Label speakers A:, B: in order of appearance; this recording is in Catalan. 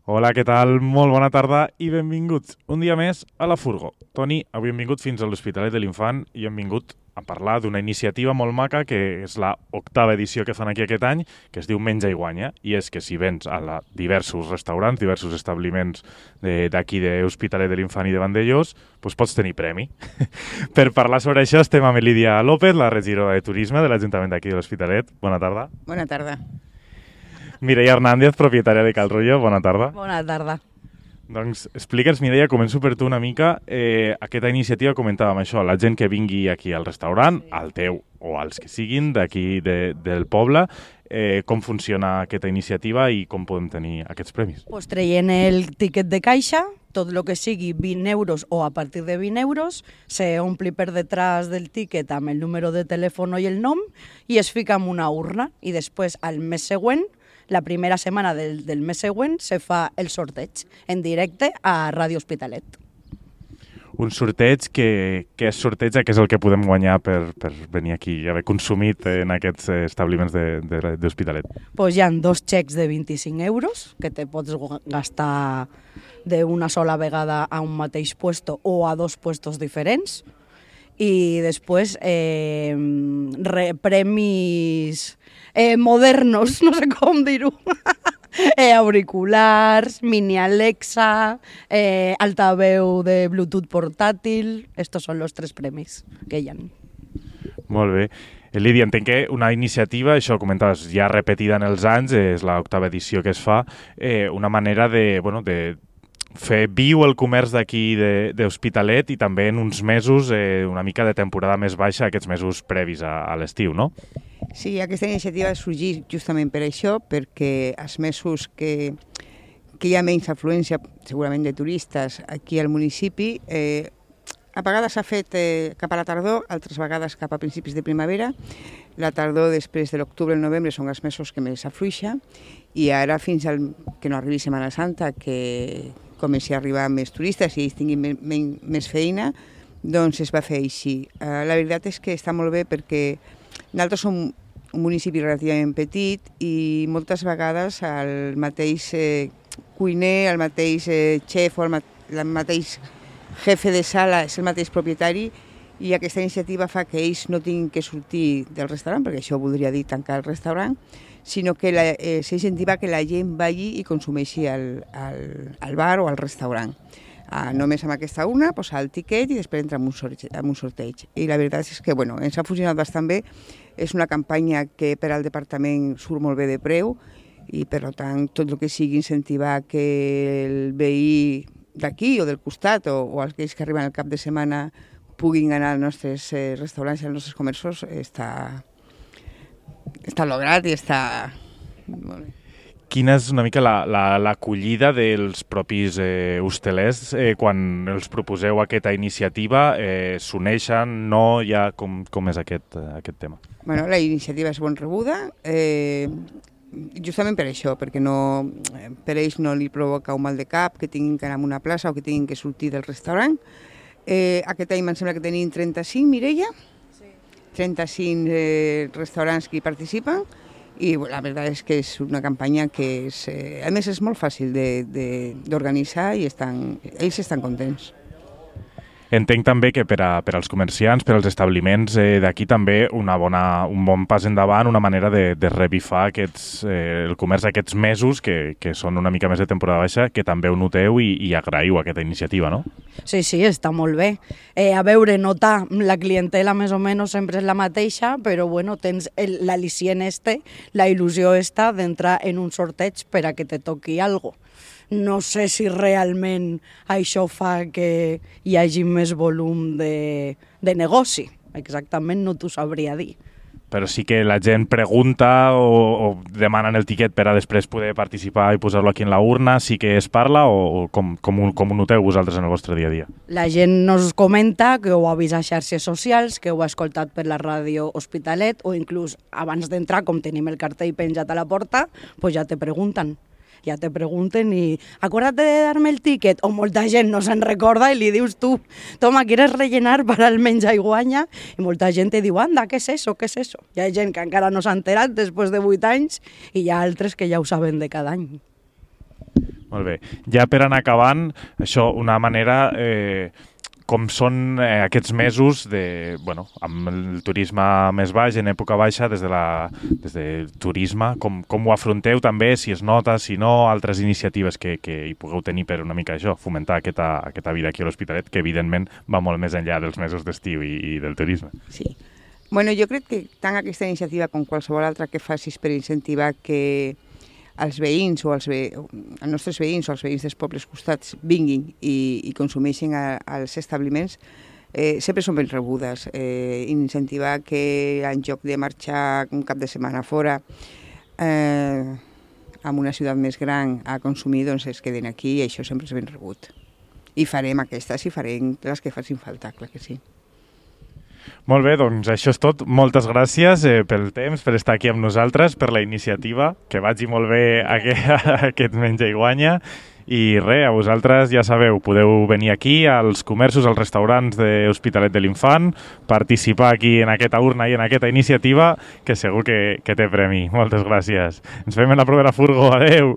A: Hola, què tal? Molt bona tarda i benvinguts un dia més a la Furgo. Toni, avui hem vingut fins a l'Hospitalet de l'Infant i hem vingut a parlar d'una iniciativa molt maca que és la 8ª edició que fan aquí aquest any, que es diu Menja i Guanya, i és que si vens a diversos restaurants, diversos establiments d'aquí d'Hospitalet de l'Infant i de Vandellós, doncs pots tenir premi. Per parlar sobre això estem amb Lídia López, la regidora de Turisme de l'Ajuntament d'aquí de l'Hospitalet. Bona tarda.
B: Bona tarda.
A: Mireia Hernández, propietària de Cal Rollo. Bona tarda.
B: Bona tarda.
A: Doncs explica'ns, Mireia, començo per tu una mica. Aquesta iniciativa comentàvem això, la gent que vingui aquí al restaurant, al teu o als que siguin d'aquí del poble, com funciona aquesta iniciativa i com podem tenir aquests premis.
B: Pues traient el tiquet de caixa, tot el que sigui 20 euros o a partir de 20 euros, se ompli per detrás del tiquet amb el número de telèfon i el nom i es fica en una urna i després al mes següent, la primera setmana del mes següent, se fa el sorteig en directe a Ràdio Hospitalet.
A: Un sorteig, què és sorteig? Què és el que podem guanyar per venir aquí i haver consumit en aquests establiments d'Hospitalet?
B: Pues hi ha 2 xecs de 25 euros que te pots gastar d'una sola vegada a un mateix puesto o a 2 puestos diferents. I després premis modernos, no sé com dir-ho, auriculars, mini Alexa, altaveu de Bluetooth portàtil. Estos son los 3 premis que hi ha.
A: Molt bé. Lídia, entenc que una iniciativa, això comentaves, ja repetida en els anys, és la 8ª edició que es fa, una manera de fer viu el comerç d'aquí d'Hospitalet i també en uns mesos, una mica de temporada més baixa, aquests mesos previs a l'estiu, no?
C: Sí, aquesta iniciativa ha sorgit justament per això, perquè els mesos que hi ha menys afluència, segurament de turistes, aquí al municipi, a vegades s'ha fet cap a la tardor, altres vegades cap a principis de primavera. La tardor, després de l'octubre i el novembre, són els mesos que més afluixa, i ara fins que no arribi Setmana Santa, que comenci a arribar més turistes i ells tinguin més feina, doncs es va fer així. La veritat és que està molt bé perquè nosaltres som un municipi relativament petit i moltes vegades el mateix cuiner, el mateix xef o el mateix jefe de sala és el mateix propietari i aquesta iniciativa fa que ells no tinguin que sortir del restaurant, perquè això voldria dir tancar el restaurant, sinó que s'incentiva que la gent vagi i consumeixi al bar o al restaurant. Només amb aquesta urna, posar el tiquet i després entrar en un sorteig. I la veritat és que ens ha funcionat bastant bé. És una campanya que per al departament surt molt bé de preu i per tant tot el que sigui incentivar que el veí d'aquí o del costat o aquells que arriben al cap de setmana puguin anar als nostres restaurants i als nostres comerços està lograt i està molt bé.
A: Quina és una mica l'acollida dels propis hostelers quan els proposeu aquesta iniciativa? S'uneixen? No? Ja, com és aquest tema?
C: Bueno, la iniciativa és ben rebuda, justament per això, perquè per ells no li provoca un mal de cap que tinguin que anar a una plaça o que tinguin que sortir del restaurant. Aquest any em sembla que tenim 35, Mireia? Sí. 35 restaurants que hi participen i la veritat és que és una campanya que a més és molt fàcil d'organitzar i ells estan contents.
A: Entenc també que per als comerciants, per als establiments d'aquí també un bon pas endavant, una manera de revifar el comerç aquests mesos que són una mica més de temporada baixa, que també ho noteu i agraïu aquesta iniciativa, no?
B: Sí, està molt bé. A veure, notar la clientela més o menys sempre és la mateixa, però tens l'al·licient la il·lusió d'entrar en un sorteig per a que te toqui alguna cosa. No sé si realment això fa que hi hagi més volum de negoci. Exactament no t'ho sabria dir.
A: Però sí que la gent pregunta o demanen el tiquet per a després poder participar i posar-lo aquí en la urna, sí que es parla o com ho noteu vosaltres en el vostre dia a dia?
B: La gent nos comenta que ho ha vist a xarxes socials, que ho ha escoltat per la ràdio Hospitalet o inclús abans d'entrar, com tenim el cartell penjat a la porta, pues ja te pregunten. Ja te pregunten i acuérdate de darme el tiquet, o molta gent no se'n recorda i li dius tu, toma, ¿quieres rellenar para el menjar i guanya? I molta gent te diu, anda, ¿qué es eso? ¿Qué es eso? Hi ha gent que encara no s'ha enterat després de 8 anys i hi ha altres que ja ho saben de cada any.
A: Molt bé. Ja per anar acabant, això, una manera... com són aquests mesos amb el turisme més baix, en època baixa, des de turisme, com ho afronteu també, si es nota, si no, altres iniciatives que hi pugueu tenir per una mica això, fomentar aquesta vida aquí a l'Hospitalet, que evidentment va molt més enllà dels mesos d'estiu i del turisme.
C: Sí. Bueno, jo crec que tant aquesta iniciativa com qualsevol altra que facis per incentivar que els veïns o els nostres veïns o els veïns dels pobles costats vinguin i consumeixin als establiments, sempre són ben rebudes. Incentivar que en lloc de marxar un cap de setmana fora en una ciutat més gran a consumir, doncs es queden aquí i això sempre és ben rebut. I farem aquestes i farem les que facin falta, clar que sí.
A: Molt bé, doncs això és tot. Moltes gràcies pel temps, per estar aquí amb nosaltres, per la iniciativa, que vagi molt bé aquest Menja i Guanya. I res, a vosaltres ja sabeu, podeu venir aquí als comerços, als restaurants de l'Hospitalet de l'Infant, participar aquí en aquesta urna i en aquesta iniciativa, que segur que té premi. Moltes gràcies. Ens veiem en la propera furgo. Adeu!